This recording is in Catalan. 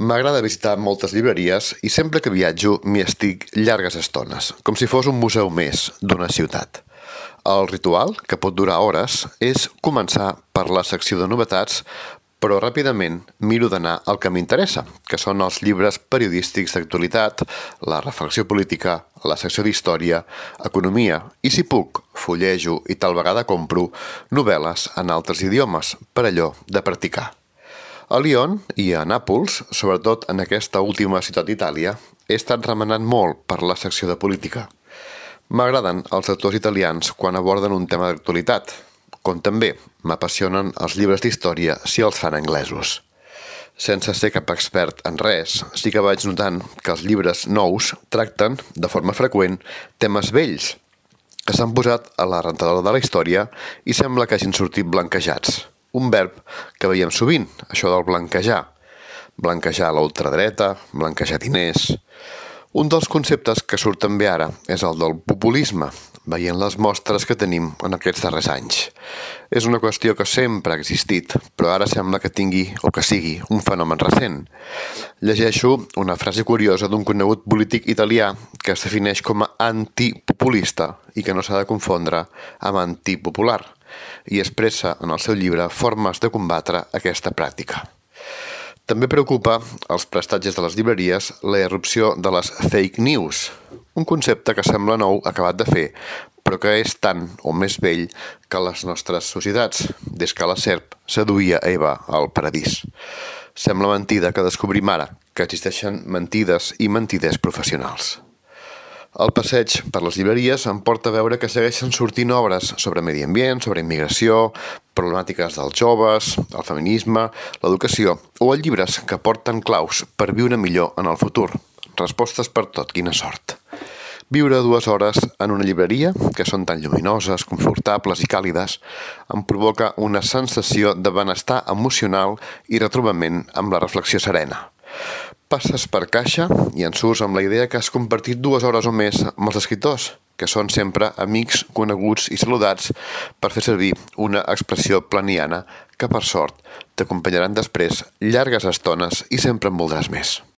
M'agrada visitar moltes llibreries i sempre que viatjo m'hi estic llargues estones, com si fos un museu més d'una ciutat. El ritual, que pot durar hores, és començar per la secció de novetats, però ràpidament miro d'anar al que m'interessa, que són els llibres periodístics d'actualitat, la reflexió política, la secció d'història, economia i, si puc, fullejo i tal vegada compro novel·les en altres idiomes, per allò de practicar. A Lyon i a Nàpols, sobretot en aquesta última ciutat d'Itàlia, he estat remenant molt per la secció de política. M'agraden els autors italians quan aborden un tema d'actualitat, com també m'apassionen els llibres d'història si els fan anglesos. Sense ser cap expert en res, sí que vaig notant que els llibres nous tracten, de forma freqüent, temes vells, que s'han posat a la rentadora de la història i sembla que hagin sortit blanquejats. Un verb que veiem sovint, això del blanquejar. Blanquejar la ultradreta, blanquejar diners. Un dels conceptes que surt també ara és el del populisme, veient les mostres que tenim en aquests darrers anys. És una qüestió que sempre ha existit, però ara sembla que tingui o que sigui un fenomen recent. Llegeixo una frase curiosa d'un conegut polític italià que es defineix com a antipopulista i que no s'ha de confondre amb antipopular, i expressa en el seu llibre formes de combatre aquesta pràctica. També preocupa als prestatges de les llibreries la irrupció de les fake news, un concepte que sembla nou acabat de fer, però que és tant o més vell que les nostres societats, des que la serp seduïa Eva al paradís. Sembla mentida que descobrim ara que existeixen mentides i mentiders professionals. El passeig per les llibreries em porta a veure que segueixen sortint obres sobre medi ambient, sobre immigració, problemàtiques dels joves, el feminisme, l'educació o llibres que porten claus per viure millor en el futur. Respostes per tot, quina sort. Viure 2 hores en una llibreria, que són tan lluminoses, confortables i càlides, em provoca una sensació de benestar emocional i retrobament amb la reflexió serena. Passes per caixa i en surts amb la idea que has compartit 2 hores o més amb els escriptors, que són sempre amics, coneguts i saludats, per fer servir una expressió planiana que, per sort, t'acompanyaran després llargues estones i sempre en voldràs més.